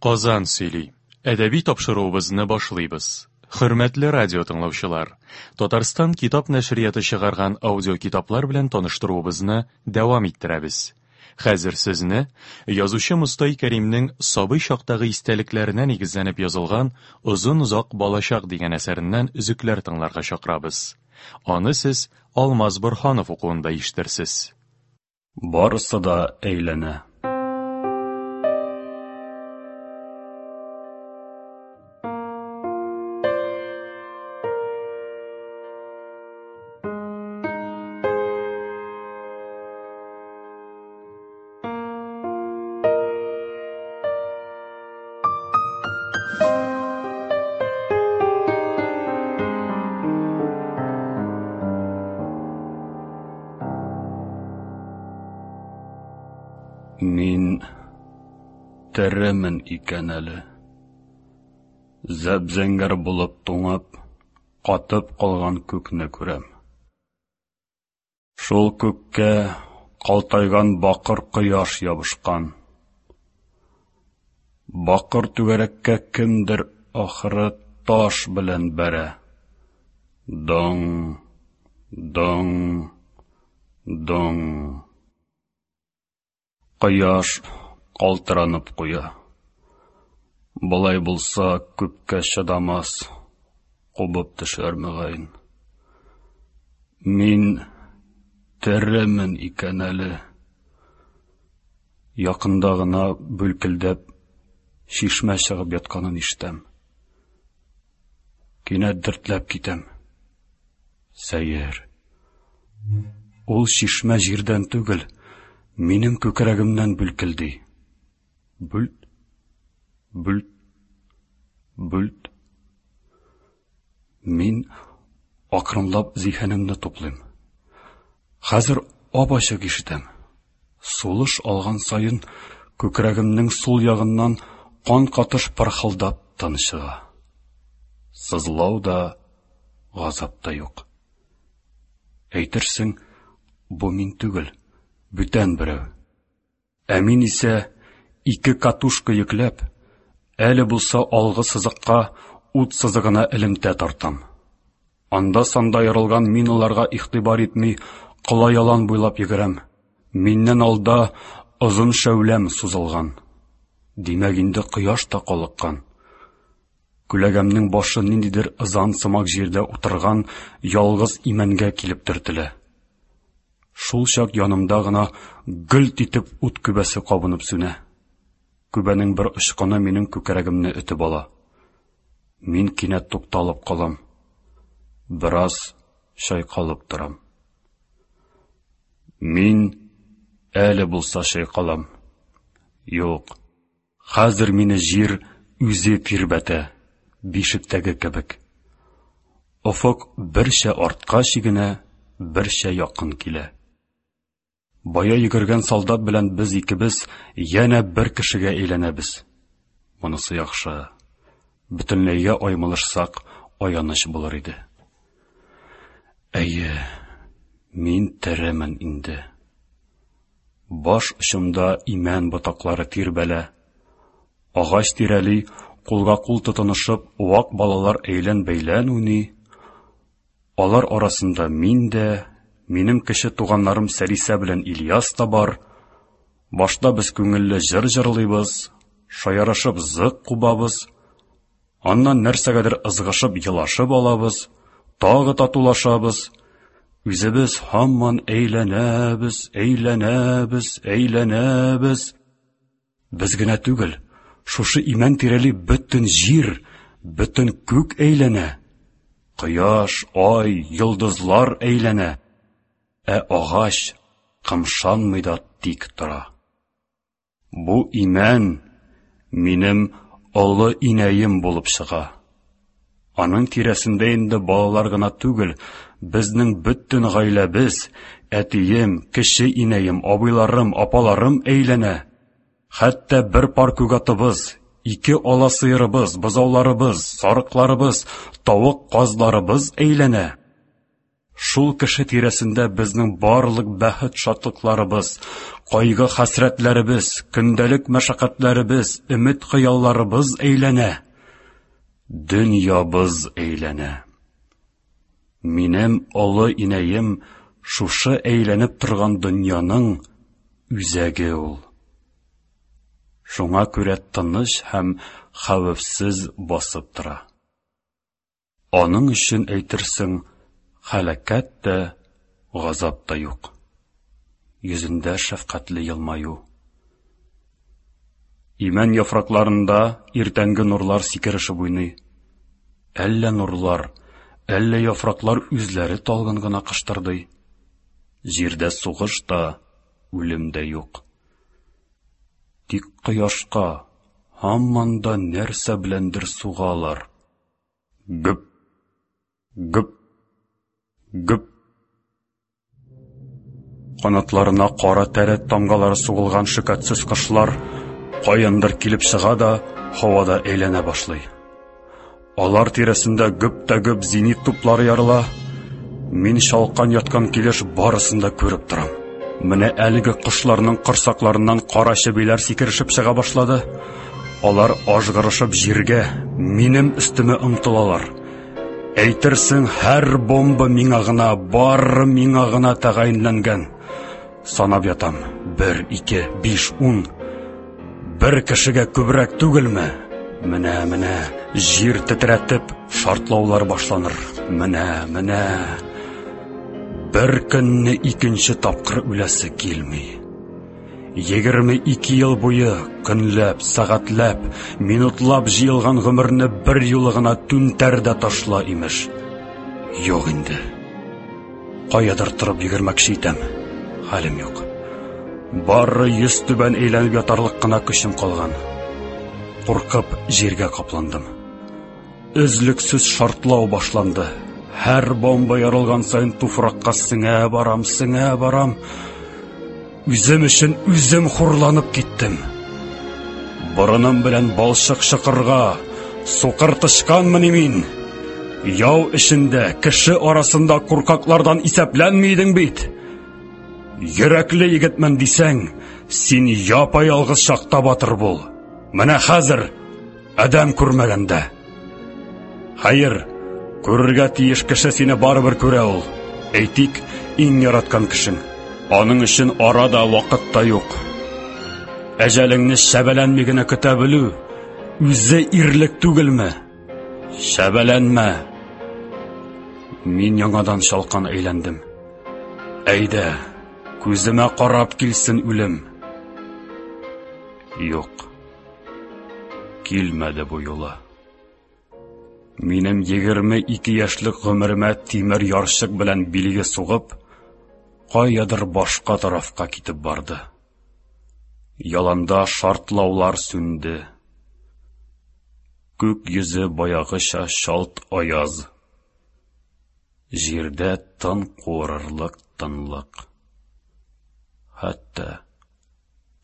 Казан сөйли. Әдәби тапшыруыбызны башлыйбыз. Хөрмәтле радио тыңлаучылар, Татарстан китап нәшрияты чыгарган аудиокитаплар белән таныштыруыбызны дәвам иттерәбез. Хәзер сезне язучы Мостай Кәримнең сабый чактагы истәлекләренә нигезләнеп язылган Озын-озак балачак дигән әсәреннән өзекләр тыңларга чакырабыз. Аны сез Алмаз Борһанов укуында ишетерсез. Барысы да әйләнә. Мин теремен икән әле. Зәп-зәңгәр булып туңып, катып калган күкне күрәм. Шул күккә калтайган бакыр кояш ябышкан. Бакыр түгәрәккә кемдер ахыры таш белән бәрә. Доң, доң, доң. Кояш калтыранып куя. Болай булса, күпкә чыдамас, кубып төшәр мөгаен. Мин теремен икән әле. Якында гына бүлкелдәп чишмә чыгып ятканын ишетәм. Кинәт дертләп китәм. Сәер. Ул чишмә җирдән түгел, минем күкрәгемнән бүлкелди. Бүлт, бүлт, бүлт. Мин акрынлап зиһенемне туплыйм. Хәзер ап-ачык ишетәм. Сулыш алган саен күкрәгемнең сул ягыннан кан катыш пырхылдап тын чыга. Сызлау да, газап та юк. Әйтерсең, бу мин түгел, бүтән берәү. Ә мин исә ике катушка йөкләп, әле булса алгы сызыкка ут сызыгына элемтә тартам. Анда-санда ярылган миналарга игътибар итми, кола ялан буйлап йөгерәм. Миннән алда озын шәүләм сузылган. Димәк, инде кояш та калыккан. Күләгәмнең башы ниндидер ызан сымак җирдә утырган ялгыз имәнгә килеп төртелә. Шул чак янымда гына гөлт итеп ут күбәсе кабынып сүнә. Күбәнең бер очкыны минем күкрәгемне өтеп ала. Мин кинәт тукталып калам. Бераз чайкалып торам. Мин әле булса чайкалам. Юк, хәзер мине җир үзе тирбәтә, бишектәге кебек. Офык берчә артка чигенә, берчә якын килә. Бая йөгергән солдат белән без икебез янә бер кешегә әйләнәбез. Монысы яхшы. Бөтенләйгә аймылышсак, аяныч булыр иде. Әйе, мин теремен инде. Баш очымда имән ботаклары тирбәлә. Агач тирәли кулга-кул тотынышып, вак балалар әйлән-бәйлән уйный. Алар арасында мин дә, минем кече туганнарым Сәлисә белән Ильяс та бар. Башта без күңелле җыр җырлыйбыз, шаярышып зык кубабыз, аннан нәрсәгәдер ызгышып елашып алабыз, тагы татулашабыз. Үзебез һаман әйләнәбез, әйләнәбез, әйләнәбез. Без генә түгел, шушы имән тирәли бөтен җир, бөтен күк әйләнә. Кояш, ай, йолдызлар әйләнә. Ә агач кымшанмый да тик тора. Бу имән минем олы инәем булып чыга. Аның тирәсендә инде балалар гына түгел, безнең бөтен гаиләбез, әтием, кече инәем, абыйларым, апаларым әйләнә. Хәтта бер пар күгатыбыз, ике ала сыерыбыз, бозауларыбыз, сарыкларыбыз, тавык-казларыбыз әйләнә. Шул кеше тирәсендә безнең барлык бәхет-шатлыкларыбыз, кайгы-хәсрәтләребез, көндәлек мәшәкатьләребез, өмет-хыялларыбыз әйләнә. Дөньябыз әйләнә. Минем олы инәем шушы әйләнеп торган дөньяның үзәге ул. Шуңа күрә тыныч һәм хәвефсез басып тора. Аның өчен әйтерсең, һәлакәт тә, газап та юк. Йөзендә шәфкатьле елмаю. Имән яфракларында иртәнге нурлар сикерешеп уйный. Әллә нурлар, әллә яфраклар үзләре талгын гына кыштырдый. Җирдә сугыш та, үлем дә юк. Тик кояшка һаман да нәрсә беләндер сугалар. Гөп! Гөп! Гөп! Канатларына кара тәрәт тамгалары сугылган шөкәтсез кошлар каяндыр килеп чыга да һавада әйләнә башлый. Алар тирәсендә гөп тә гөп зенит туплары ярыла. Мин чалкан яткан килеш барысын да күреп торам. Менә әлеге кошларның корсакларыннан кара чебиләр сикерешеп чыга башлады. Алар ажгырышып җиргә, минем өстемә омтылалар. Әйтерсең, һәр бомба миңа гына, бары миңа гына тәгаенләнгән. Санап ятам. Бер, ике, биш, ун. Бер кешегә күбрәк түгелме? Менә, менә, җир тетрәтеп, шартлаулар башланыр. Менә, менә. Бер көнне икенче тапкыр үләсе килми. 22 ел буе көнләп, сәгатьләп, минутлап җыелган гомерне бер юлы гына түнтәр дә ташла, имеш. Юк инде. Каядыр торып йөгермәкче итәм. Хәлем юк. Бары йөз түбән әйләнеп ятарлык кына көчем калган. Куркып җиргә капландым. Өзлексез шартлау башланды. Һәр бомба ярылган саен туфракка сеңә барам, сеңә барам. Үзем өчен үзем хурланып киттем. Борыным белән балчык чыкырга, сукыр тычканмыни мин? Яу эчендә, кеше арасында куркаклардан исәпләнми идең бит. Йөрәкле егетмен дисәң, син япа-ялгыз чакта батыр бул. Менә хәзер Адәм күрмәгәндә. Хәер, күрергә тиеш кеше сине барыбер күрә ул. Әйтик, иң яраткан кешең. Аның өчен ара да, вакыт та юк. Әҗәлеңне шәбәләнми генә көтә белү үзе ирлек түгелме? Шәбәләнмә. Мин яңадан чалкан әйләндем. Әйдә, күземә карап килсен үлем. Юк. Килмәде бу юлы. Минем 22 яшьлек гомеремә тимер ярчык белән билге сугып, каядыр башка тарафка китеп барды. Яланда шартлаулар сүнде. Күк йөзе баягыча чалт аяз. Җирдә тын куырырлык тынлык. Хәтта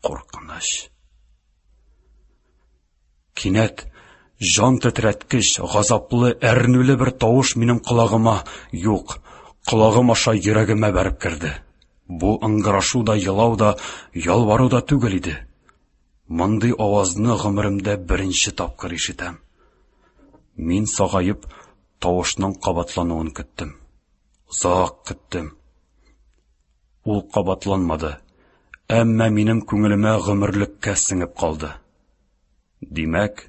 куркыныч. Кинәт җан тетрәткеч, газаплы, әрнүле бер тавыш минем колагыма, юк, колагым аша йөрәгемә бәреп керде. Бу ыңгырашу да, елау да, ялвару да түгел иде. Мондый авазны гомеремдә беренче тапкыр ишетәм. Мин сагаеп тавышның кабатлануын көттем. Озак көттем. Ул кабатланмады, әмма минем күңелемә гомерлеккә сеңеп калды. Димәк,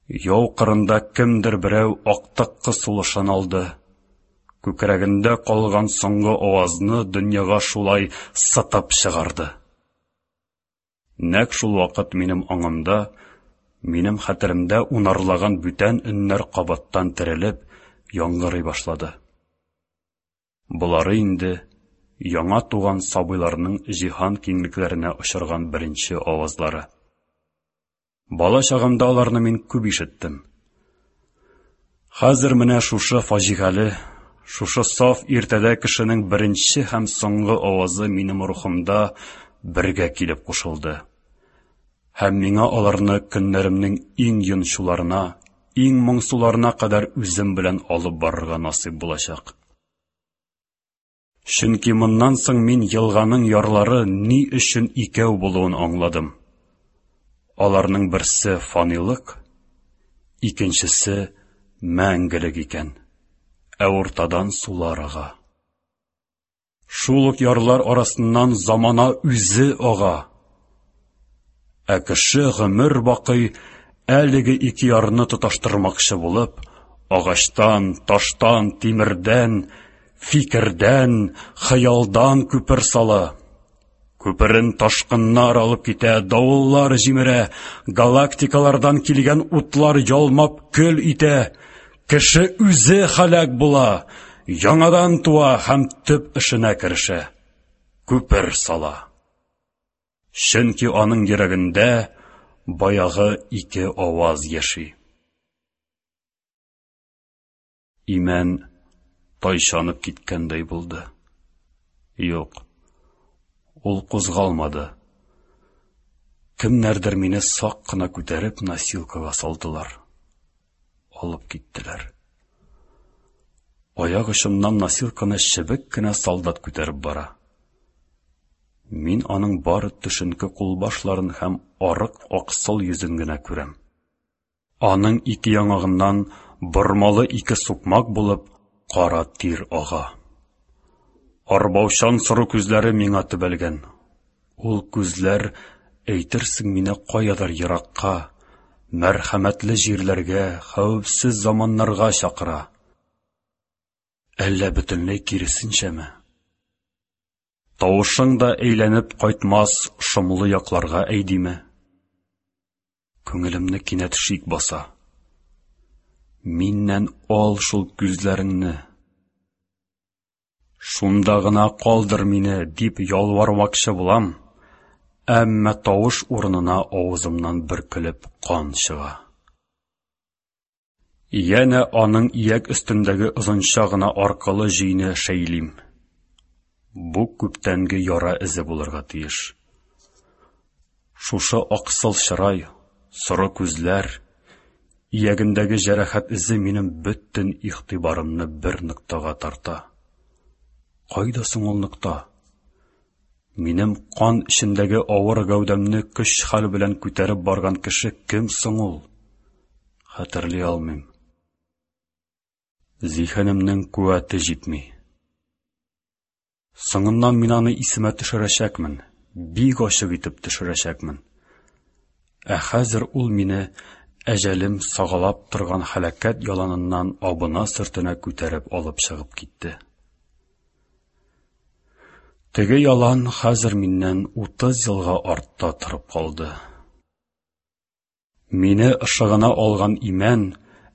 яу кырында кемдер берәү актыккы сулышын алды. Күкрәгендә калган соңгы авазны дөньяга шулай сытып чыгарды. Нәкъ шул вакыт минем аңымда, минем хәтеремдә унарлаган бүтән өннәр кабаттан терелеп, яңгырый башлады. Болары инде яңа туган сабыйларның җиһан киңлекләренә очырган беренче авазлары. Бала чагымда аларны мин күп ишеттем. Хәзер менә шушы фаҗигале, шушы саф иртәдә кешенең беренче һәм соңгы авазы минем рухымда бергә килеп кушылды. Һәм миңа аларны көннәремнең иң йончуларына, иң моңсуларына кадәр үзем белән алып барырга насыйп булачак. Чөнки моннан соң мин елганың ярлары ни өчен икәү булуын аңладым. Аларның берсе фанилык, икенчесе мәңгелек икән. Ә уртадан сулар ага. Шул ук ярлар арасыннан замана үзе ага. Ә кеше гомер бакый әлеге ике ярны тоташтырмакчы булып, агачтан, таштан, тимердән, фикердән, хыялдан күпер сала. Күперен ташкыннар алып китә, давыллар җимерә, галактикалардан килгән утлар ялмап көл итә. Кеше үзе һәлак була, яңадан туа һәм төп эшенә керешә. Күпер сала. Чөнки аның йөрәгендә баягы ике аваз яши. Имән тайчанып киткәндәй булды. Юк, ул кузгалмады. Кемнәрдер мине сак кына күтәреп носилкага салдылар. Алып киттеләр. Аяк очымнан носилканы чебек кенә солдат күтәреп бара. Мин аның бары төшенке кулбашларын һәм арык аксыл йөзен генә күрәм. Аның ике яңагыннан бормалы ике сукмак булып кара тир ага. Арбаучан соры күзләре миңа төбәлгән. Ул күзләр әйтерсең мине каядыр еракка, мәрхәмәтле җирләргә, хәвефсез заманнарга чакыра. Әллә бөтенләй киресенчәме? Тавышың да әйләнеп кайтмас шомлы якларга әйдиме? Күңелемне кинәт шик баса. Миннән ал шул күзләреңне. Шунда гына калдыр мине, дип ялвармакчы булам, әмма тавыш урынына авызымнан бөркелеп кан чыга. Янә аның ияк өстендәге озынча гына аркылы җөйне шәйлим. Бу күптәнге яра эзе булырга тиеш. Шушы аксыл чырай, соры күзләр, иягендәге җәрәхәт эзе минем бөтен игътибарымны бер ноктага тарта. Кайда соң ул нокта? Минем кан эчендәге авыр гәүдәмне көч-хәл белән күтәреп барган кеше кем соң ул? Хәтерли алмыйм. Зиһенемнең куәте җитми. Соңыннан мин аны исемә төшерәчәкмен, бик ачык итеп төшерәчәкмен. Ә хәзер ул мине әҗәлем сагалап торган һәлакәт яланыннан абына-сөртенә күтәреп алып чыгып китте. Теге ялан хәзер миннән 30 елга артта торып калды. Мине ышыгына алган имән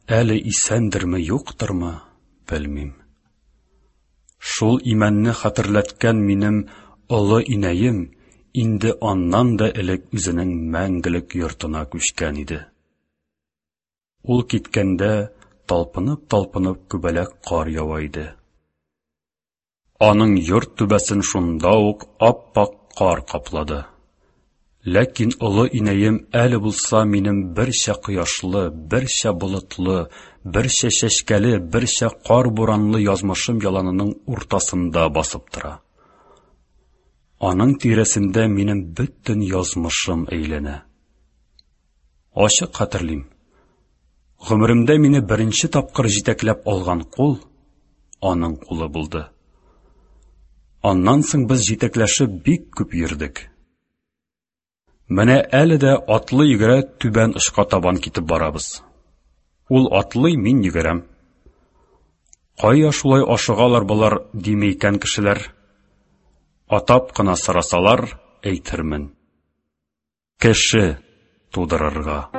әле исәндерме, юктырмы, белмим. Шул имәнне хәтерләткән минем олы инәем инде аннан да элек үзенең мәңгелек йортына күчкән иде. Ул киткәндә талпынып-талпынып күбәләк кар ява иде. Аның йорт түбәсен шунда ук ап-ак кар каплады. Ләкин олы инәем әле булса минем берчә кояшлы, берчә болытлы, берчә чәчкәле, берчә кар буранлы язмышым яланының уртасында басып тора. Аның тирәсендә минем бөтен язмышым әйләнә. Ачык хәтерлим. Гомеремдә мине беренче тапкыр җитәкләп алган кул аның кулы булды. Аннан соң без җитәкләшеп бик күп йөрдек. Менә әле дә атлы йөгерә түбән очка табан китеп барабыз. Ул атлый, мин йөгерәм. Кая шулай ашыгалар болар, дими икән кешеләр? Атап кына сорасалар, әйтермен. Кеше тудырырга.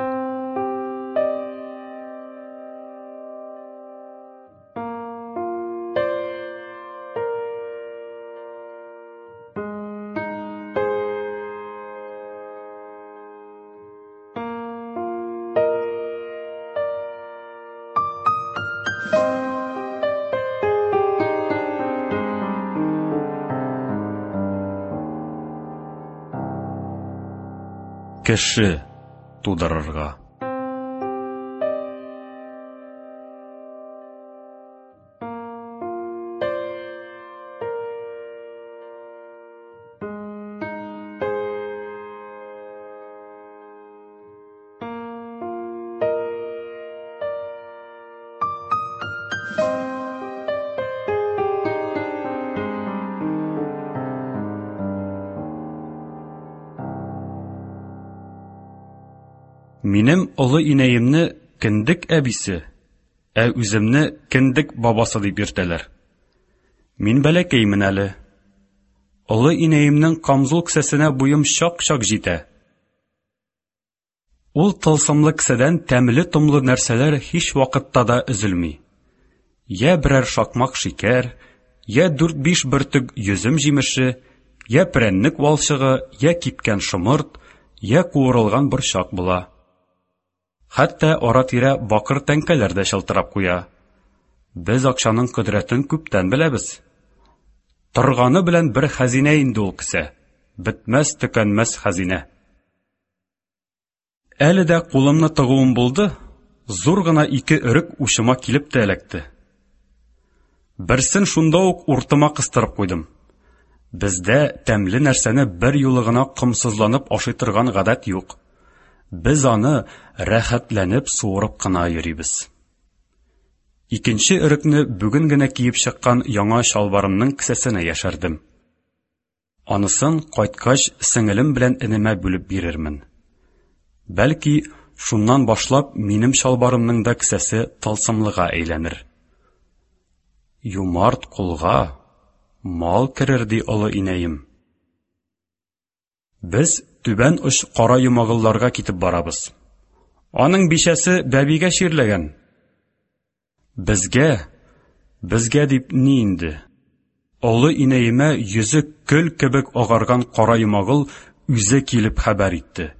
Кеше тудырырга. Минем олы инәемне кендек әбисе, ә үземне кендек бабасы дип йөртәләр. Мин бәләкәймен әле. Олы инәемнең камзул кесәсенә буем чак-чак җитә. Ул тылсымлы кесәдән тәмле-томлы нәрсәләр һич вакытта да өзелми. Йә берәр шакмак шикәр, йә дүрт-биш бөртек йөзем җимеше, йә прәннек валчыгы, йә кипкән шомырт, йә куырылган борчак була. Хәтта ара-тирә бакыр тәңкәләр дә чылтырап куя. Без акчаның кодрәтен күптән беләбез. Торганы белән бер хәзинә инде ул кесә, бетмәс-төкәнмәс хәзинә. Әле дә кулымны тыгуым булды, зур гына ике өрек учыма килеп тә эләкте. Берсен шунда ук уртыма кыстырып куйдым. Бездә тәмле нәрсәне бер юлы гына комсызланып ашый торган гадәт юк. Без аны рәхәтләнеп суырып кына йөрибез. Икенче өрекне бүген генә киеп чыккан яңа чалбарымның кесәсенә яшердем. Анысын, кайткач, сеңелем белән энемә бүлеп бирермен. Бәлки, шуннан башлап минем чалбарымның да кесәсе тылсымлыга әйләнер. Юмарт кулга мал керер, ди олы инәем. Без түбән оч Кара Йомагылларга китеп барабыз. Аның бичәсе бәбигә чирләгән. Безгә, безгә дип ни инде? Олы инәемә йөзе көл кебек агарган Кара Йомагыл үзе килеп хәбәр итте.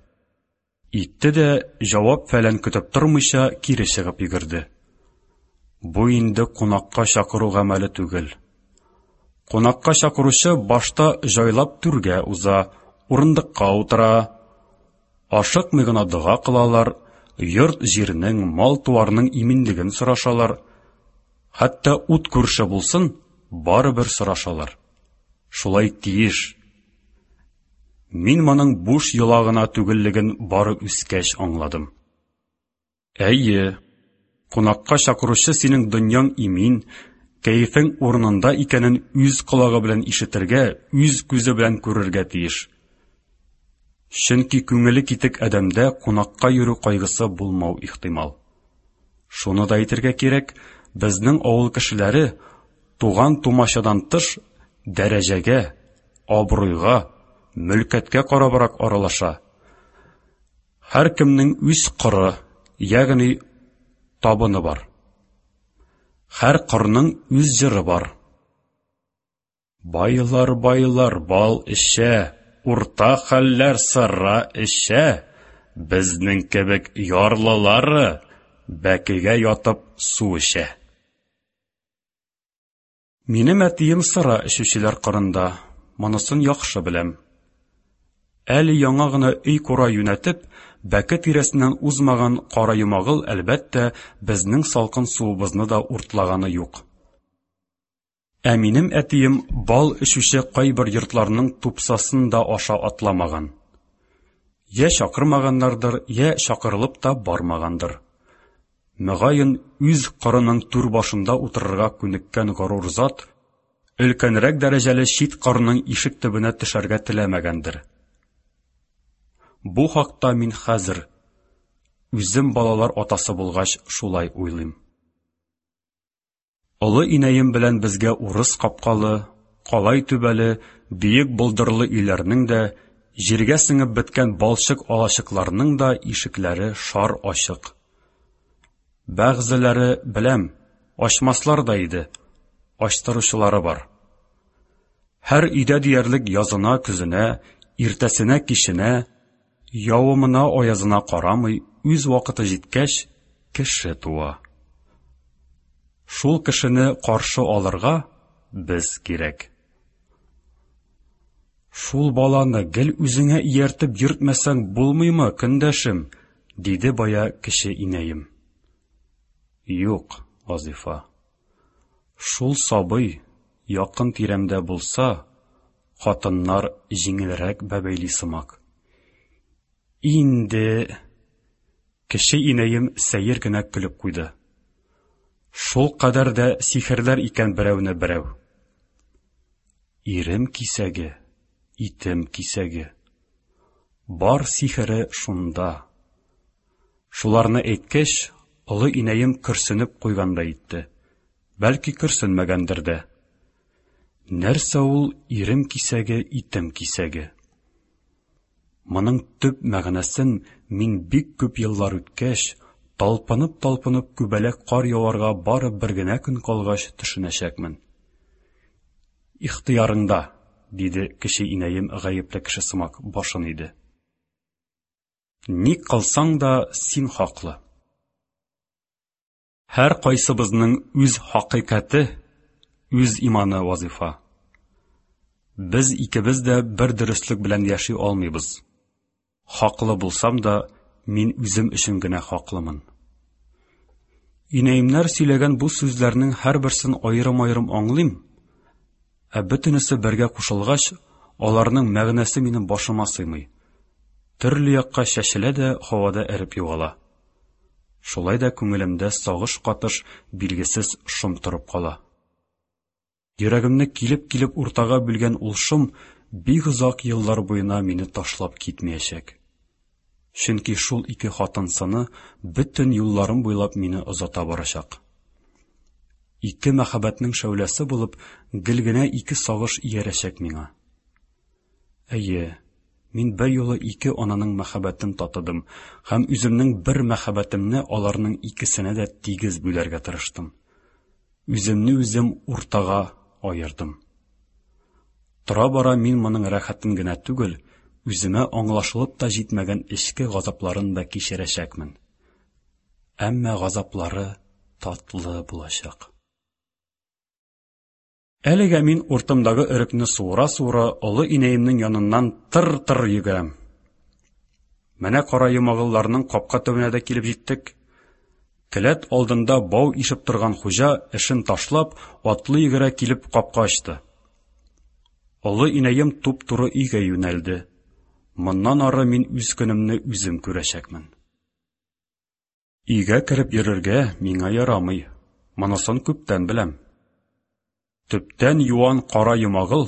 Итте дә, җавап-фәлән көтеп тормыйча, кире чыгып йөгерде. Бу инде кунакка чакыру гамәле түгел. Кунакка чакыручы башта җайлап түргә уза, урындыкка утыра. Ашыкмый гына дога кылалар, йорт-җирнең, мал-туарның иминлеген сорашалар. Хәтта ут күрше булсын, барыбер сорашалар. Шулай тиеш. Мин моның буш йола гына түгеллеген бары үскәч аңладым. Әйе, кунакка чакыручы синең дөньяң имин, кәефең урынында икәнен үз колагы белән ишетергә, үз күзе белән күрергә тиеш. Чөнки күңеле китек адәмдә кунакка йөрү кайгысы булмау ихтимал. Шуны да әйтергә кирәк, безнең авыл кешеләре туган-тумачадан тыш дәрәҗәгә, абруйга, мөлкәткә карабрак аралаша. Һәркемнең үз коры, ягъни табыны бар. Һәр корның үз җыры бар. Байлар, байлар бал эчә, урта хәлләр сыра эчә, безнең кебек ярлылары бәкегә ятып су эчә. Минем әтием сыра эчүчеләр кырында, монысын яхшы беләм. Әле яңа гына өй-кура юнәтеп, бәке тирәсеннән узмаган Кара Йомагыл, әлбәттә, безнең салкын суыбызны да уртлаганы юк. Ә минем әтием бал эчүче кайбер йортларның тупсасын да аша атламаган. Йә чакырмаганнардыр, йә чакырылып та бармагандыр. Мөгаен, үз кырының түр башында утырырга күнеккән горур зат өлкәнрәк дәрәҗәле чит кырның ишек төбенә төшәргә теләмәгәндер. Бу хакта мин хәзер, үзем балалар атасы булгач, шулай уйлыйм. Олы инәем белән безгә урыс капкалы, калай түбәле, биек болдырлы өйләрнең дә, җиргә сеңеп беткән балчык алачыкларның да ишекләре шар ачык. Бәгъзеләре, беләм, ачмаслар да иде, ачтыручылары бар. Һәр өйдә диярлек язына-көзенә, иртәсенә-киченә, явымына-аязына карамый, үз вакыты җиткәч, кеше туа. Шул кешене каршы алырга без кирәк. Шул баланы гел үзеңә ияртеп йөртмәсәң булмыймы, көндәшем? диде бая кече инәем. Юк, Вазифа. Шул сабый якын тирәмдә булса, хатыннар җиңелрәк бәбәйли сымак. Инде Кече инәем сәер генә көлеп куйды. Шул кадәр дә сихерләр икән берәүне берәү. Ирем кисәге, итем кисәге. Бар сихере шунда. Шуларны әйткәч, олы инәем көрсенеп куйгандай итте. Бәлки көрсенмәгәндер дә. Нәрсә ул ирем кисәге, итем кисәге? Моның төп мәгънәсен мин бик күп еллар үткәч, талпынып-талпынып күбәләк кар яварга бары бер генә көн калгач төшенәчәкмен. Ихтыярыңда, диде кече инәем гаепле кеше сымак башын иде. Ни кылсаң да, син хаклы. Һәр кайсыбызның үз хакыйкате, үз иманы вазифа. Без икебез дә бер дөреслек белән яши алмыйбыз. Хаклы булсам да, мин үзем өчен генә хаклымын. Инәемнәр сөйләгән бу сүзләрнең һәрберсен аерым-аерым аңлыйм, ә бөтенесе бергә кушылгач, аларның мәгънәсе минем башыма сыймый. Төрле якка чәчелә дә һавада эреп югала. Шулай да күңелемдә сагыш катыш билгесез шом торып кала. Йөрәгемне килеп-килеп уртага бүлгән ул шом бик озак еллар буена мине ташлап китмәячәк. Чөнки шул ике хатын сыны бөтен юлларым буйлап мине озата барачак. Ике мәхәббәтнең шәүләсе булып, гел генә ике сагыш иярәчәк миңа. Әйе, мин бер юлы ике ананың мәхәббәтен татыдым һәм үземнең бер мәхәббәтемне аларның икесенә дә тигез бүләргә тырыштым. Үземне үзем уртага аердым. Тора-бара мин моның рәхәтен генә түгел, үземә аңлашылып та җитмәгән эчке газапларын да кичерәчәкмен. Әмма газаплары татлы булачак. Әлегә мин уртымдагы өрекне суыра-суыра олы инәемнең яныннан тыр-тыр йөгерәм. Менә кара йомагылларның капка төбенә дә килеп җиттек. Келәт алдында бау ишеп торган хуҗа, эшен ташлап, атлы йөгерә килеп капка ачты. Олы инәем туп-туры өйгә юнәлде. Моннан ары мин үз көнемне үзем күрәчәкмен. Өйгә кереп йөрергә миңа ярамый, монысын күптән беләм. Төптән юан кара йомагыл,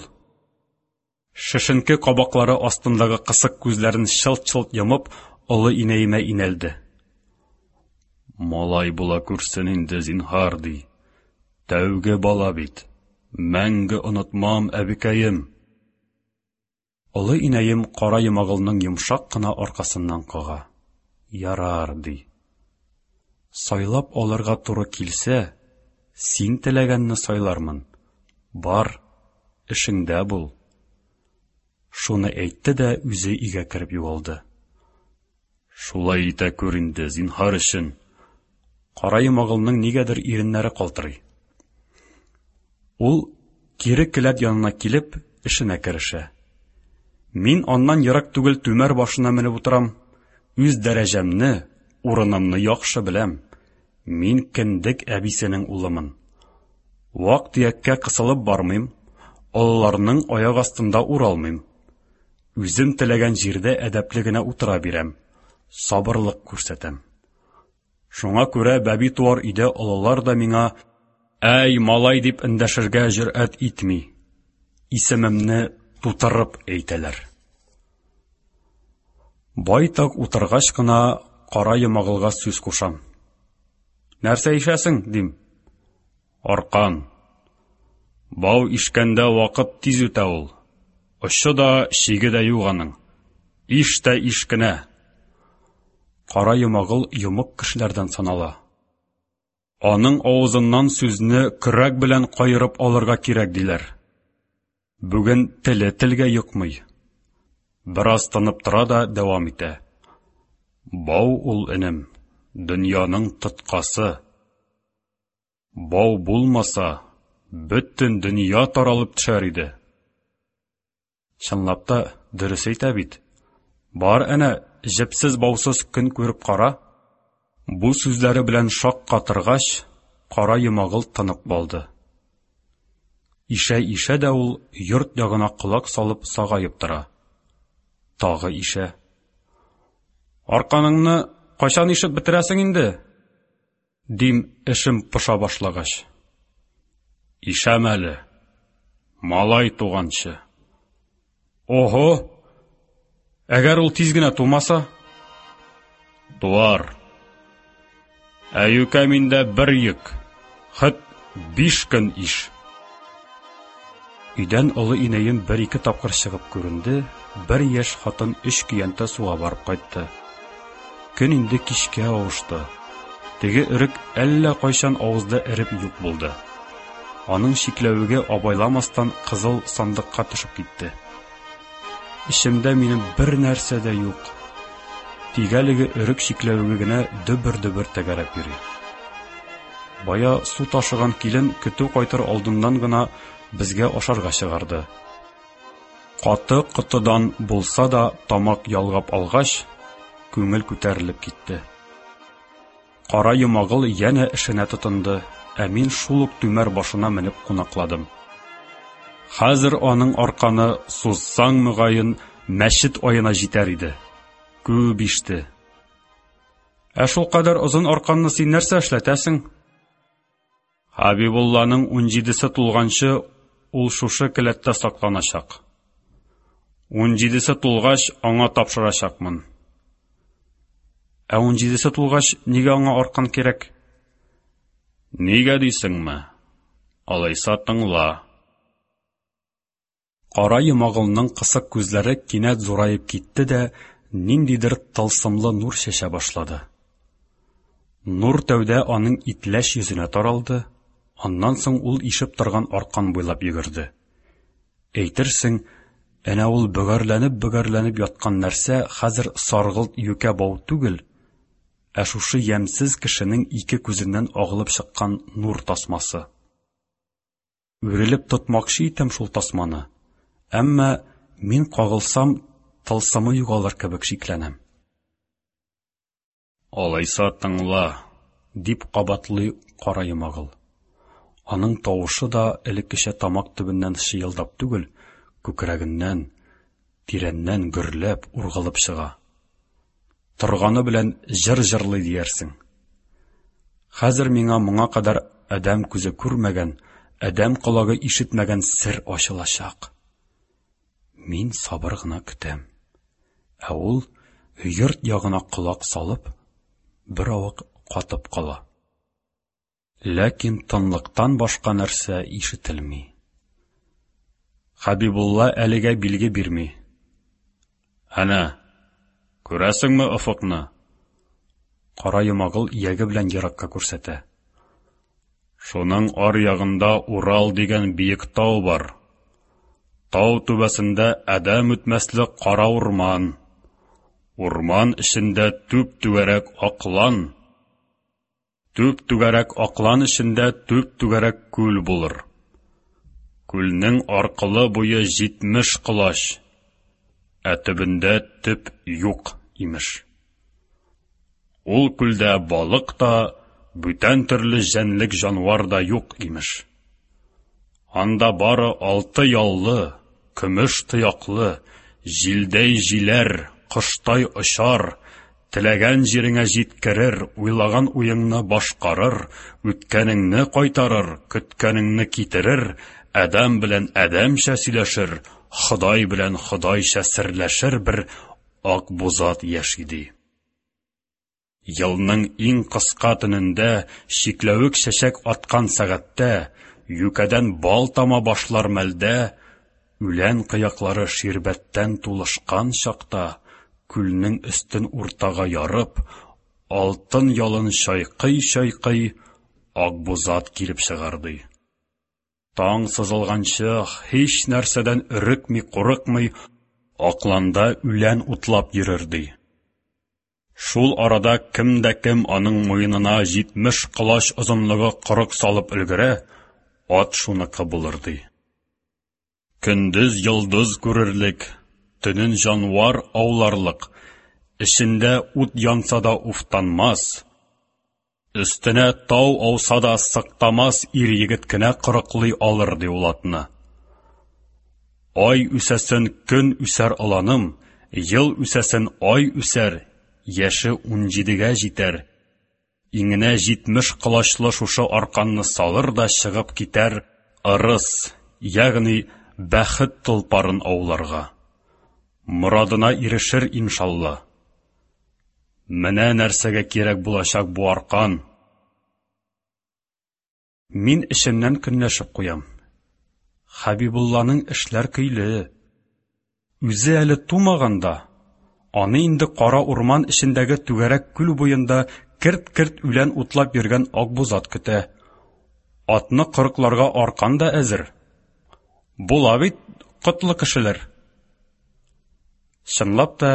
шешенке кабаклары астындагы кысык күзләрен чылт-чылт йомып, олы инәемә инәлде. Малай була күрсен инде, зинһар, ди. Тәүге бала бит. Мәңге онытмам, әбекәем. Олы инәем кара йомагылның йомшак кына аркасыннан кага. Ярар, ди. Сайлап алырга туры килсә, син теләгәнне сайлармын. Бар, эшеңдә бул. Шуны әйтте дә үзе өйгә кереп югалды. Шулай итә күр инде, зинһар өчен. Кара йомагылның нигәдер иреннәре калтырый. Ул кире келәт янына килеп, эшенә керешә. Мин аннан ерак түгел түмәр башына менеп утырам. Үз дәрәҗәмне, урынымны яхшы беләм. Мин кендек әбисенең улымын. Вак-төяккә кысылып бармыйм, олыларның аяк астында уралмыйм. Үзем теләгән җирдә әдәпле генә утыра бирәм, сабырлык күрсәтәм. Шуңа күрә бәби туар өйдә олылар да миңа «Әй, малай!» дип эндәшергә җөрьәт итми. Исемемне тутырып әйтәләр. Байтак утыргач кына кара йомагылга сүз кушам. Нәрсә ишәсең? дим. Аркан. Бау ишкәндә вакыт тиз үтә ул. Очы да, чиге дә юк аның. Иш тә иш кенә. Кара йомагыл йомык кешеләрдән санала. Аның авызыннан сүзне көрәк белән каерып алырга кирәк, диләр. Бүген теле телгә йокмый. Бераз тынып тора да дәвам итә. Бау ул, энем, дөньяның тоткасы. Бау булмаса, бөтен дөнья таралып төшәр иде. Чынлап та, дөрес әйтә бит. Бар әнә, җепсез-баусыз көн күреп кара. Бу сүзләре белән шаккатыргач, кара йомагыл тынып калды. Ишә-ишә дә ул йорт ягына колак салып сагаеп тора. Тагы ишә. Арканыңны кайчан ишеп бетерәсең инде? Дим, эшем поша башлагач. Ишәм әле. Малай туганчы. Ого! Әгәр ул тиз генә тумаса? Туар. Ә юкә миндә бер йөк, хет биш көн иш. Өйдән олы инәем бер-ике тапкыр чыгып күренде, бер яшь хатын өч көянтә суга барып кайтты. Көн инде кичкә авышты. Теге өрек әллә кайчан авызда эреп юк булды. Аның чикләвеге абайламастан кызыл сандыкка төшеп китте. Эчемдә минем бер нәрсә дә юк. Тик әлеге өрек чикләвеге генә дөбер-дөбер тәгәрәп йөри. Бая су ташыган килен көтү кайтыр алдыннан гына безгә ашарга чыгарды. Каты котыдан булса да тамак ялгап алгач, күңел күтәрелеп китте. Кара Йомагыл янә эшенә тотынды, ә мин шул ук түмәр башына менеп кунакладым. Хәзер аның арканы сузсаң, мөгаен, мәчет аена җитәр иде. Күп иште. Ә шул кадәр озын арканны син нәрсә эшләтәсең? Хәбибулланың унҗидесе тулганчы ул шушы келәттә сакланачак. Унҗидесе тулгач, аңа тапшырачакмын. Ә унҗидесе тулгач, нигә аңа аркан кирәк? Нигә дисеңме? Алайса тыңла. Кара Йомагылның кысык күзләре кинәт зураеп китте дә, ниндидер тылсымлы нур чәчә башлады. Нур тәүдә аның итләч йөзенә таралды, аннан соң ул ишеп торган аркан буйлап йөгерде. Әйтерсең, әнә ул бөгәрләнеп-бөгәрләнеп яткан нәрсә хәзер саргылт юкә бау түгел, ә шушы ямьсез кешенең ике күзеннән агылып чыккан нур тасмасы. Үрелеп тотмакчы итәм шул тасманы, әмма мин кагылсам, тылсымы югалыр кебек шикләнәм. Алайса тыңла, дип кабатлый Кара Йомагыл. Аның тавышы да элеккечә тамак төбеннән чыелдап түгел, күкрәгеннән, тирәннән гөрләп, ургылып чыга. Торганы белән җыр җырлый диярсең. Хәзер миңа моңа кадәр адәм күзе күрмәгән, адәм колагы ишетмәгән сер ачылачак. Мин сабыр гына көтәм. Ә ул йорт ягына колак салып, беравык катып кала. Ләкин тынлыктан башка нәрсә ишетелми. Хәбибулла әлегә билге бирми. Әнә, күрәсеңме офыкны? Кара Йомагыл ияге белән еракка күрсәтә. Шуның аръягында Урал дигән биек тау бар. Тау түбәсендә адәм үтмәслек кара урман. Урман эчендә түп-түгәрәк аклан. Түп-түгәрәк аклан эчендә түп-түгәрәк күл булыр. Күлнең аркылы буе 70 колач, ә төбендә төп юк, имеш. Ул күлдә балык та, бүтән төрле җәнлек-җанвар да юк, имеш. Анда бары алты яллы, көмеш тояклы, җилдәй җиләр, коштай очар, теләгән җиреңә җиткерер, уйлаган уеңны башкарыр, үткәнеңне кайтарыр, көткәнеңне китерер, адәм белән адәмчә сөйләшер, Ходай белән Ходайча серләшер бер Акбузат яши ди. Елның иң кыска төнендә, чикләвек чәчәк аткан сәгатьтә, юкәдән бал тама башлар мәлдә, үлән кыяклары ширбәттән тулышкан чакта, күлнең өстен уртага ярып, алтын ялын чайкый-чайкый, Акбузат килеп чыгар ди. Таң сызылганчы һич нәрсәдән өрекми-курыкмый, акланда үлән утлап йөрер ди. Шул арада кем дә кем аның муенына 70 колач озынлыгы корык салып өлгерә, ат шуныкы булыр ди. Көндез йолдыз күрерлек, төнен җанвар ауларлык, эчендә ут янса да уфтанмас, өстенә тау ауса да сыктамас ир-егет кенә корыклый алыр ди ул атны. Ай үсәсен көн үсәр оланым, ел үсәсен ай үсәр, яше унҗидегә җитәр. Иңенә 70 колачлы шушы арканны салыр да чыгып китәр ырыс, ягъни бәхет толпарын ауларга. Морадына ирешер иншалла. Менә нәрсәгә кирәк булачак бу аркан. Мин эчемнән көнләшеп куям. Хәбибулланың эшләр көйле. Үзе әле тумаган да, аны инде кара урман эчендәге түгәрәк күл буенда керт-керт үлән утлап йөргән Акбузат көтә. Атны корыкларга аркан да әзер. Була бит котлы кешеләр. Чынлап та,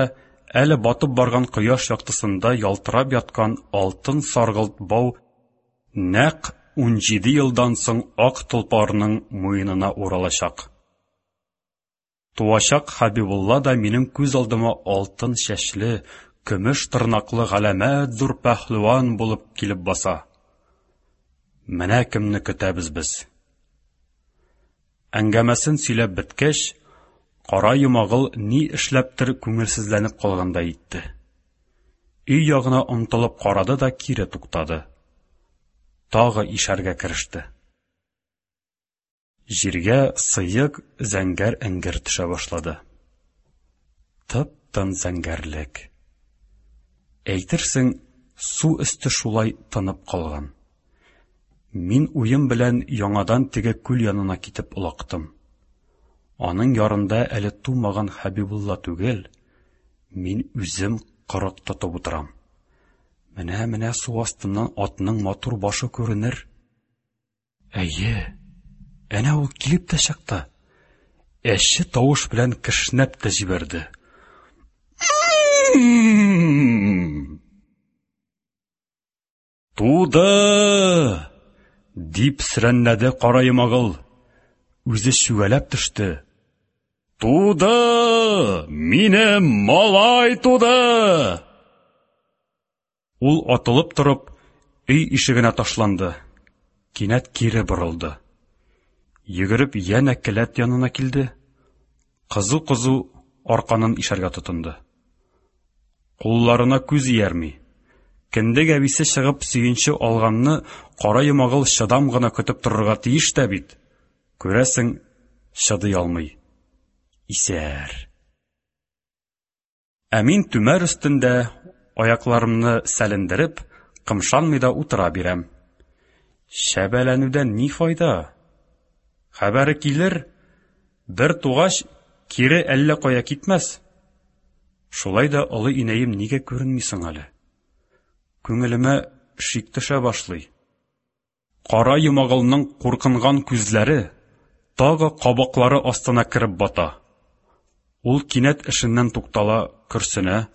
әле батып барган кояш яктысында ялтырап яткан алтын саргылт бау нәкъ 17 елдан соң ак толпарның муенына уралачак. Туачак Хәбибулла да минем күз алдыма алтын чәчле, көмеш тырнаклы галәмәт зур пәһлеван булып килеп баса. Менә кемне көтәбез без. Әңгәмәсен сөйләп беткәч, Кара Йомагыл ни эшләптер күңелсезләнеп калгандай итте. Өй ягына омтылып карады да кире туктады. Тагы ишәргә кереште. Җиргә сыек зәңгәр эңгер төшә башлады. Тып-тын зәңгәрлек. Әйтерсең, су өсте шулай тынып калган. Мин уем белән яңадан теге күл янына китеп олактым. Аның ярында әле тумаган Хәбибулла түгел, мин үзем кырык тотып утырам. Менә-менә су астыннан атның матур башы күренер. Әйе, әнә ул килеп тә чыкты. Әче тавыш белән кешнәп тә җибәрде. Туды! дип сөрәнләде Кара Йомагыл. Үзе чүгәләп төште. Туды! Минем малай туды! Ул атылып торып, өй ишегенә ташланды. Кинәт кире борылды. Йөгереп янә келәт янына килде. Кызу-кызу арканын ишәргә тотынды. Кулларына күз иярми. Кендек әбисе чыгып сөенче алганны Кара Йомагыл чыдам гына көтеп торырга тиеш тә бит. Күрәсең, чыдый алмый. Исәр. Ә мин түмәр өстендә, аякларымны сәлендереп, кымшанмый да утыра бирәм. Чәбәләнүдән ни файда? Хәбәре килер, бер тугач, кире әллә кая китмәс. Шулай да олы инәем нигә күренми соң әле? Күңелемә шик төшә башлый. Кара Йомагылның куркынган күзләре тагы кабаклары астына кереп бата. Ул кинәт эшеннән туктала, көрсенә.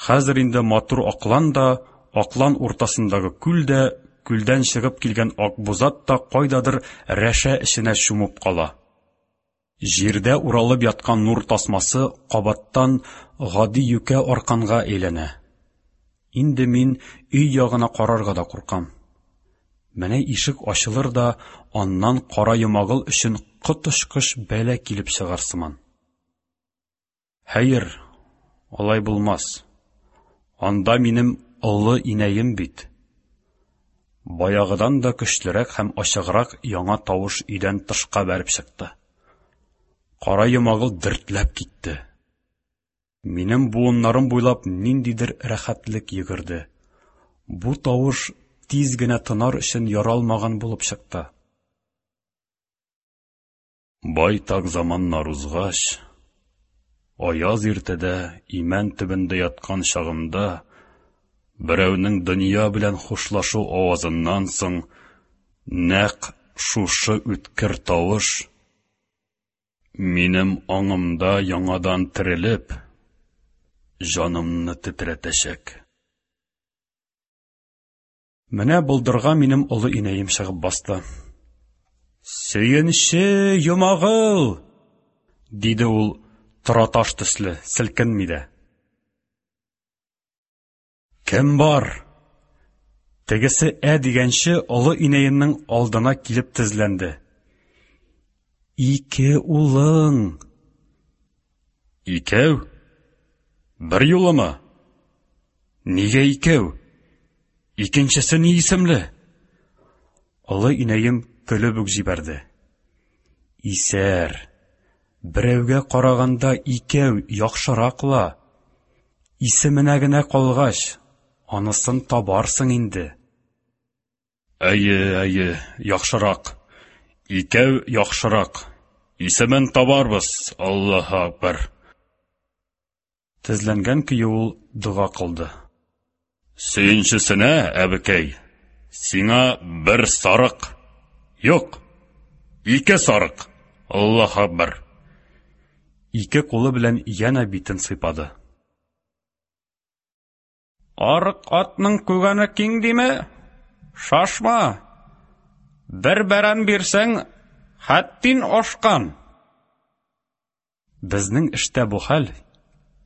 Хәзер инде матур аклан да, аклан уртасындагы күл дә, күлдән чыгып килгән акбузат та кайдадыр рәшә эченә чумып кала. Җирдә уралып яткан нур тасмасы кабаттан гади юкә арканга әйләнә. Инде мин өй ягына карарга да куркам. Менә ишек ачылыр да, аннан Кара Йомагыл өчен коточкыч бәла килеп чыгар сыман. Хәер, алай булмас. Анда минем олы инәем бит. Баягыдан да көчлерәк һәм ачыграк яңа тавыш өйдән тышка бәреп чыкты. Кара Йомагыл дертләп китте. Минем буыннарым буйлап ниндидер рәхәтлек йөгерде. Бу тавыш тиз генә тынар өчен яралмаган булып чыкты. Байтак заманнар узгач, аяз иртәдә имән төбендә яткан чагымда, берәүнең дөнья белән хушлашу авазыннан соң нәкъ шушы үткер тавыш минем аңымда яңадан терелеп, җанымны тетрәтәчәк. Менә болдырга минем олы инәем чыгып басты. Сөенче, Йомагыл! диде ул тораташ төсле, селкенми дә. Кем бар? Тегесе ә дигәнче олы инәемнең алдына килеп тезләнде. Ике улың! Икәү? Бер юлымы? Нигә икәү? Икенчесе ни исемле? Олы инәем көлеп үк җибәрде. Исәр. Берәүгә караганда икәү яхшырак ла. Исеменә генә калгач, анысын табарсың инде. Әйе, әйе, яхшырак. Икәү яхшырак. Исемен табарбыз, Аллаһу акбар. Тезләнгән көе ул дога кылды. Сөенчесенә, әбекәй, сиңа бер сарык. Юк, ике сарык. Аллаһу акбар. Ике кулы белән янә битен сыйпады. Арык атның күгәне киң диме? Шашма! Бер бәрән бирсәң, хәттин ашкан. Безнең эштә бу хәл,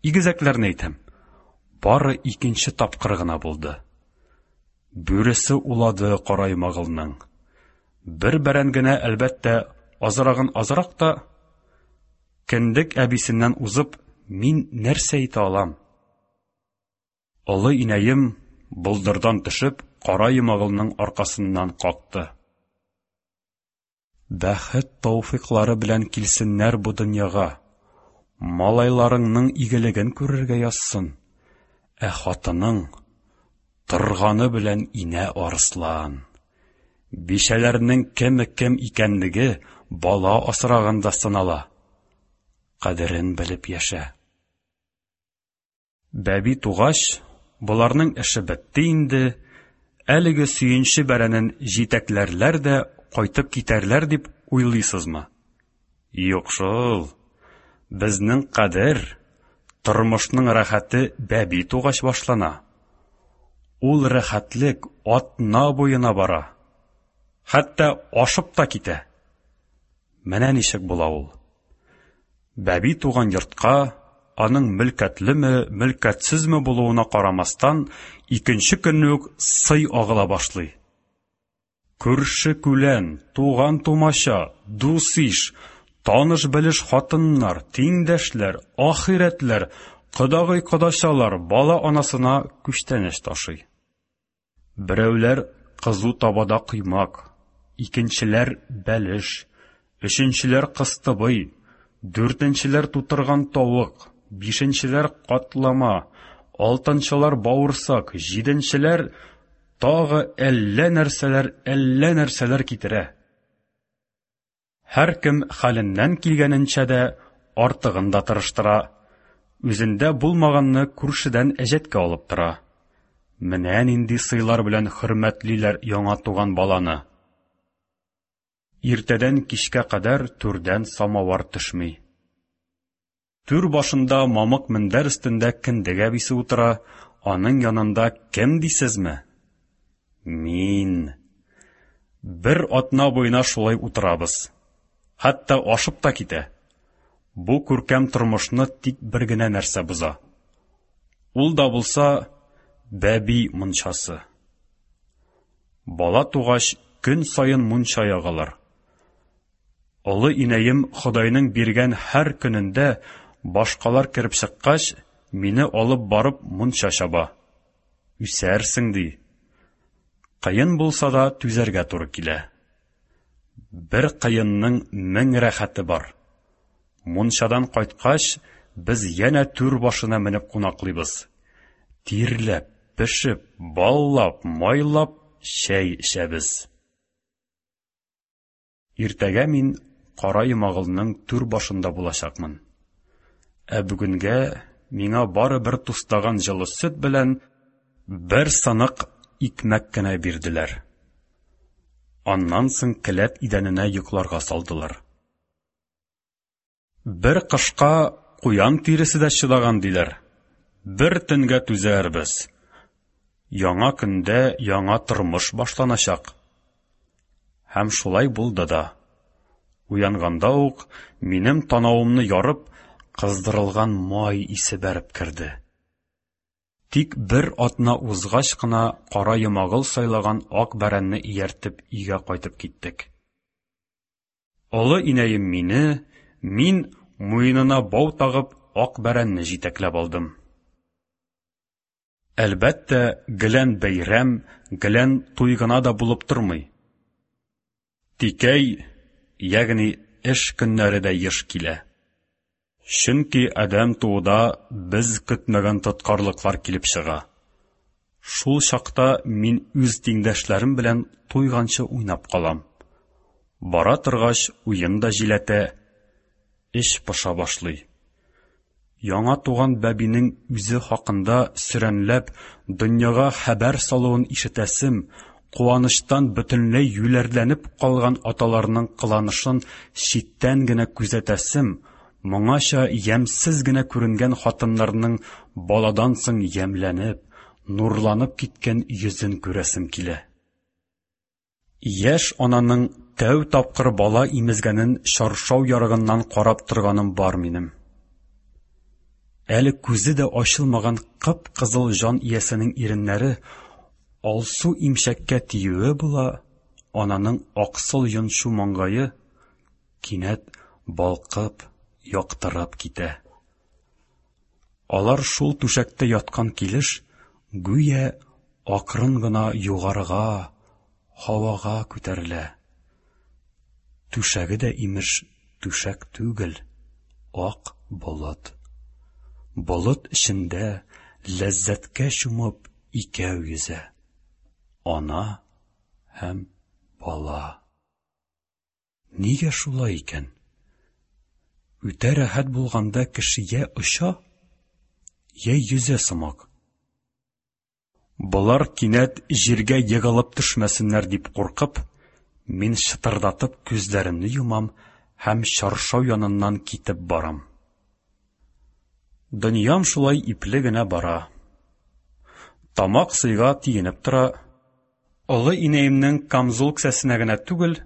игезәкләрне әйтәм, бары икенче тапкыр гына булды. Бүресе улады Кара Йомагылның. Бер бәрән генә, әлбәттә, азрагын азрак та, кендек әбисеннән узып, мин нәрсә әйтә алам? Олы инәем, болдырдан төшеп, Кара Йомагылның аркасыннан какты. Бәхет тауфыйклары белән килсеннәр бу дөньяга. Малайларыңның игелеген күрергә язсын. Ә хатының торганы белән инә арыслан. Бичәләрнең кеме кем икәнлеге бала асраганда сынала. Кадерен белеп яшә. Бәби тугач, боларның эше бетте инде, әлеге сөенче бәрәнен җитәкләрләр дә кайтып китәрләр дип уйлыйсызмы? Юк шул. Безнең кадер, тормышның рәхәте бәби тугач башлана. Ул рәхәтлек атна буена бара. Хәтта ашып та китә. Менә ничек була ул. Бәби туган йортка, аның мөлкәтлеме, мөлкәтсезме булуына карамастан, икенче көнне үк сый агыла башлый. Күрше-күлән, туган-тумача, дус-иш, таныш-белеш хатыннар, тиңдәшләр, ахирәтләр, кодагый-кодачалар бала анасына күчтәнәч ташый. Берәүләр кызу табада коймак, икенчеләр бәлеш, өченчеләр кыстыбый, дүртенчеләр тутырган тавык, бишенчеләр катлама, алтынчылар бавырсак, җиденчеләр тагы әллә нәрсәләр, әллә нәрсәләр китерә. Һәркем хәленнән килгәненчә дә, артыгын да тырыштыра. Үзендә булмаганны күршедән әҗәткә алып тора. Менә нинди сыйлар белән хөрмәтлиләр яңа туган баланы. Иртәдән кичкә кадәр түрдән самавар төшми. Түр башында мамык мендәр өстендә кендек әбисе утыра, аның янында кем дисезме? Мин. Бер атна буена шулай утырабыз. Хәтта ашып та китә. Бу күркәм тормышны тик бер генә нәрсә боза. Ул да булса бәби мунчасы. Бала тугач, көн саен мунча ягалар. Олы инәем Ходайның биргән һәр көнендә, башкалар кереп чыккач, мине алып барып мунча чаба. Үсәрсең, ди. Кыен булса да түзәргә туры килә. Бер кыенның мең рәхәте бар. Мунчадан кайткач, без янә түр башына менеп кунаклыйбыз. Тирләп, пешеп, баллап, майлап чәй эчәбез. Иртәгә мин Кара Йомагылның түр башында булачакмын. Ә бүгенгә миңа бары бер тустаган җылы сөт белән бер сынык икмәк кенә бирделәр. Аннан соң келәт идәненә йокларга салдылар. Бер кышка куян тиресе дә чыдаган, диләр. Бер төнгә түзәрбез. Яңа көндә яңа тормыш башланачак. Һәм шулай булды да. Уянганда ук минем танавымны ярып, кыздырылган май исе бәреп керде. Тик бер атна узгач кына Кара Йомагыл сайлаган ак бәрәнне ияртеп өйгә кайтып киттек. Олы инәем мине, мин, муенына бау тагып, ак бәрәнне җитәкләп алдым. Әлбәттә, гелән бәйрәм, гелән туй гына да булып тормый. Тикәй, ягъни эш көннәре дә еш килә. Чөнки адәм тууда без көтмәгән тоткарлыклар килеп чыга. Шул чакта мин үз тиңдәшләрем белән туйганчы уйнап калам. Бара торгач, уен да җиләтә, эч поша башлый. Яңа туган бәбинең үзе хакында сөрәнләп дөньяга хәбәр салуын ишетәсем, куанычтан бөтенләй юләрләнеп калган аталарның кыланышын читтән генә күзәтәсем, моңача ямьсез генә күренгән хатыннарның баладан соң ямьләнеп, нурланып киткән йөзен күрәсем килә. Яшь ананың тәү тапкыр бала имезгәнен чаршау ярыгыннан карап торганым бар минем. Әле күзе дә ачылмаган кып-кызыл җан иясенең иреннәре алсу имчәккә тиюе була, ананың аксыл йончу маңгае кинәт балкып, яктырып китә. Алар шул түшәктә яткан килеш, гүя акрын гына югарыга, һавага күтәрелә. Түшәге дә, имеш, түшәк түгел, ак болыт. Болыт эчендә ләззәткә чумып икәү йөзә. Ана һәм бала. Нигә шулай икән? Үтә рәхәт булганда кеше йә оча, йә йөзә сымак. Болар кинәт җиргә егылып төшмәсеннәр дип куркып, мин чытырдатып күзләремне йомам һәм чаршау яныннан китеп барам. Дөньям шулай ипле генә бара. Тамак сыйга тиенеп тора. Олы инәемнең камзул кесәсенә генә түгел,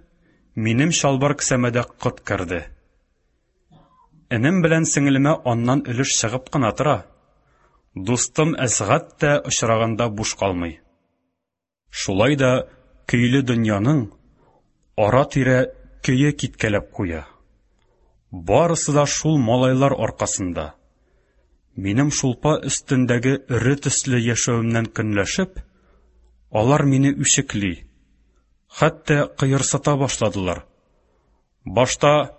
минем чалбар кесәмә дә кот керде. Энем белән сеңелемә аннан өлеш чыгып кына тора. Дустым Әсгать тә очраганда буш калмый. Шулай да көйле дөньяның ара-тирә көе киткәләп куя. Барысы да шул малайлар аркасында. Минем шулпа өстендәге өре төсле яшәвемнән көнләшеп, алар мине үчекли, хәтта кыерсыта башладылар. Башта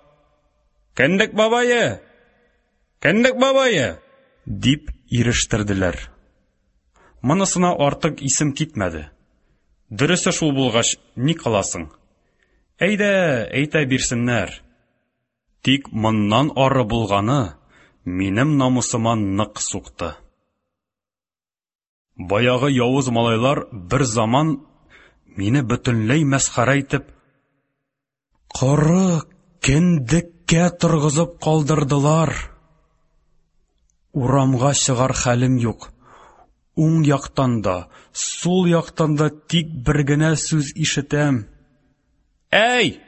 Кендек бабае! Кендек бабае! Дип ирештерделәр. Монысына артык исем китмәде. Дөресе шул булгач, ни кыласың? Әйдә, әйтә бирсеннәр. Тик моннан ары булганы минем намусыма нык сукты. Баягы явыз малайлар бер заман мине бөтенләй мәсхәрә итеп, коры кендеккә торгызып калдырдылар. Урамга чыгар хәлем юк. Уң яктан да, сул яктан да тик бер генә сүз ишетәм. Әй,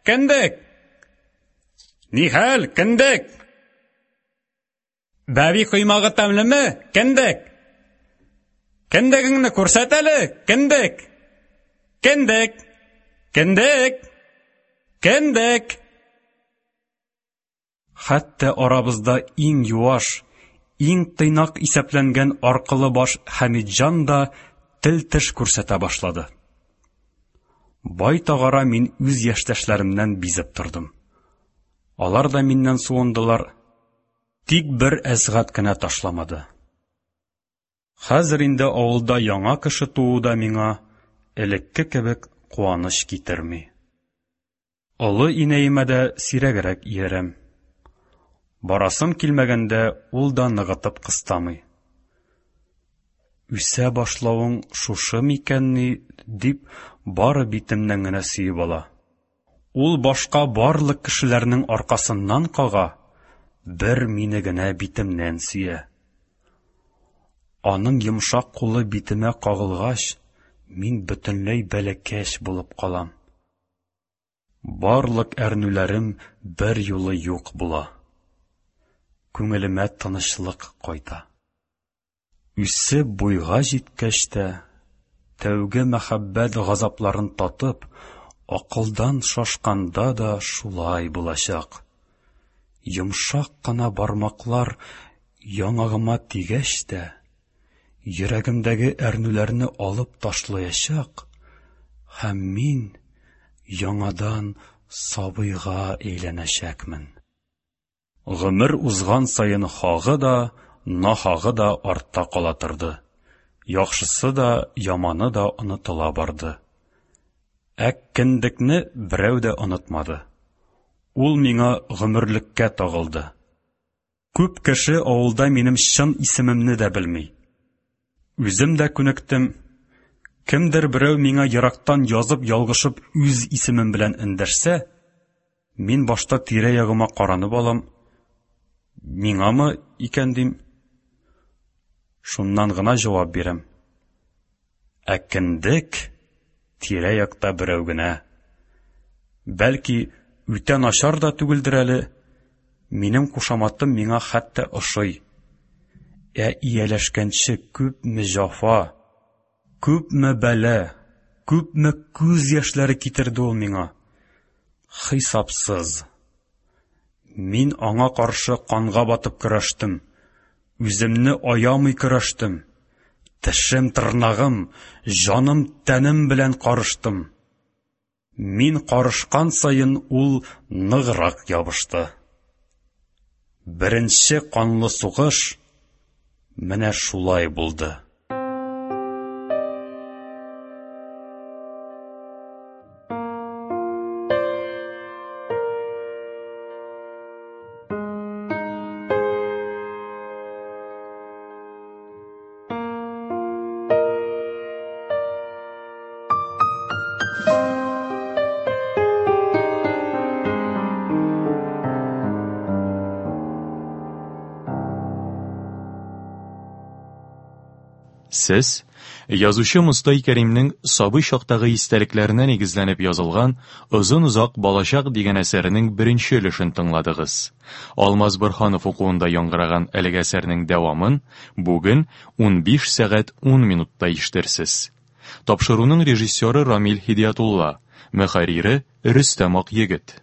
кендек! Нихәл, кендек? Бәби коймагы тәмлеме, кендек? Кендегеңне күрсәт әле, кендек! Кендек! Кендек! Кендек! Хәтта арабызда иң юаш, иң тыйнак исәпләнгән аркылы баш Хәмитҗан да тел-теш күрсәтә башлады. Байтак ара мин үз яшьтәшләремнән бизеп тордым. Алар да миннән суындылар. Тик бер Әсгать кенә ташламады. Хәзер инде авылда яңа кеше туу да миңа элекке кебек куаныч китерми. Олы инәемә дә сирәгрәк иярәм. Барасым килмәгәндә ул да ныгытып кыстамый. Үсә башлавың шушы микәнни, дип бары битемнән генә сөеп ала. Ул башка барлык кешеләрнең аркасыннан кага, бер мине генә битемнән сөя. Аның йомшак кулы битемә кагылгач, мин бөтенләй бәләкәч булып калам. Барлык әрнүләрем бер юлы юк була. Күңелемә тынычлык кайта. Үсеп буйга җиткәч тә, тәүге мәхәббәт газапларын татып, акылдан шашканда да шулай булачак. Йомшак кына бармаклар яңагыма тигәч тә, йөрәгемдәге әрнүләрне алып ташлаячак һәм мин яңадан сабыйга әйләнәчәкмен. Гомер узган саен хагы да, нахагы да артта кала торды. Яхшысы да, яманы да онытыла барды. Ә кендекне берәү дә онытмады. Ул миңа гомерлеккә тагылды. Күп кеше авылда минем чын исемемне дә белми. Үзем дә күнектем. Кемдер берәү миңа ерактан язып ялгышып үз исемем белән эндәшсә, мин башта тирә-ягыма каранып алам, миңамы икән дим. Шуннан гына җавап бирәм. Ә кендек тирә-якта берәү генә. Бәлки, үтә начар да түгелдер әле, минем кушаматым миңа хәтта ошый. Ә ияләшкәнче күпме җафа, күпме бәла, күпме күз яшьләре китерде ул миңа. Хисапсыз. Мин аңа каршы канга батып көрәштем. Үземне аямый көрәштем. Тешем-тырнагым, җаным-тәнем белән карыштым. Мин карышкан саен ул ныграк ябышты. Беренче канлы сугыш менә шулай булды. Сез язучы Мостай Кәримнең сабый чактагы истәлекләренә нигезләнеп язылган Озын-озак балачак дигән әсәренең беренче өлешен тыңладыгыз. Алмаз Борһанов укуында яңгыраган әлеге әсәрнең дәвамын бүген 15 сәгать 10 минутта ишетерсез. Тапшыруның режиссеры Рамил Һидиятулла, мөхәррире Рөстәм Акъегет.